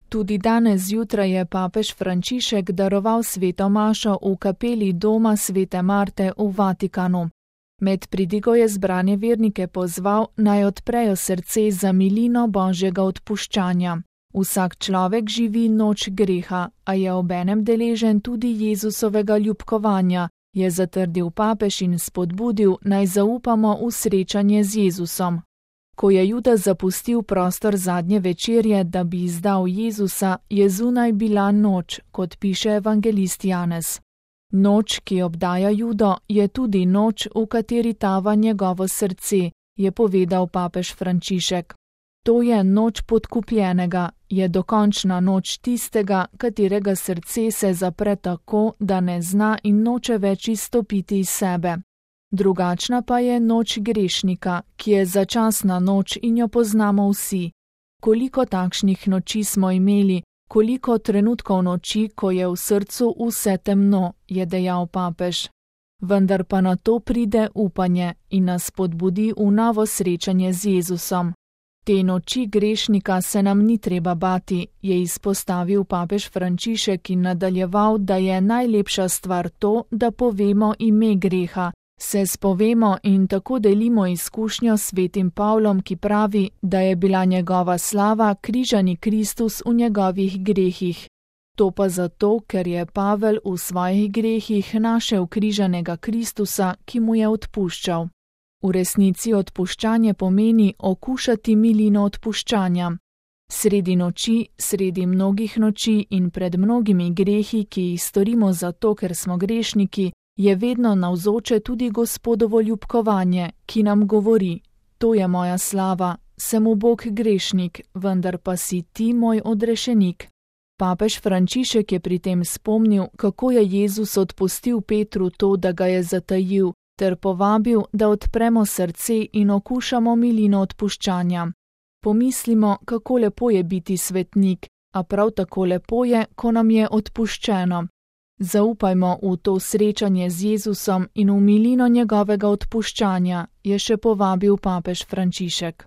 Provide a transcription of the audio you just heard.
Tudi danes zjutraj je papež Frančišek daroval sveto mašo v kapeli doma svete Marte v Vatikanu. Med pridigo je zbrane vernike pozval, naj odprejo srce za milino Božjega odpuščanja. Vsak človek živi noč greha, a je obenem deležen tudi Jezusovega ljubkovanja, je zatrdil papež in spodbudil, naj zaupamo v srečanje z Jezusom. Ko je Judas zapustil prostor zadnje večerje, da bi izdal Jezusa, je zunaj bila noč, kot piše evangelist Janez. Noč, ki obdaja Judo, je tudi noč, v kateri tava njegovo srce, je povedal papež Frančišek. To je noč podkupljenega, je dokončna noč tistega, katerega srce se zapre tako, da ne zna in noče več izstopiti iz sebe. Drugačna pa je noč grešnika, ki je začasna noč in jo poznamo vsi. Koliko takšnih noči smo imeli, koliko trenutkov noči, ko je v srcu vse temno, je dejal papež. Vendar pa na to pride upanje in nas spodbudi v novo srečanje z Jezusom. Te noči grešnika se nam ni treba bati, je izpostavil papež Frančišek in nadaljeval, da je najlepša stvar to, da povemo ime greha, se spovemo in tako delimo izkušnjo s svetim Pavlom, ki pravi, da je bila njegova slava križani Kristus v njegovih grehih. To pa zato, ker je Pavel v svojih grehih našel križanega Kristusa, ki mu je odpuščal. V resnici odpuščanje pomeni okušati milino odpuščanja. Sredi noči, sredi mnogih noči in pred mnogimi grehi, ki jih storimo zato, ker smo grešniki, je vedno navzoče tudi Gospodovo ljubkovanje, ki nam govori: to je moja slava, sem ubog grešnik, vendar pa si ti moj odrešenik. Papež Frančišek je pri tem spomnil, kako je Jezus odpustil Petru to, da ga je zatajil, ter povabil, da odpremo srce in okušamo milino odpuščanja. Pomislimo, kako lepo je biti svetnik, a prav tako lepo je, ko nam je odpuščeno. Zaupajmo v to srečanje z Jezusom in v milino njegovega odpuščanja, je še povabil papež Frančišek.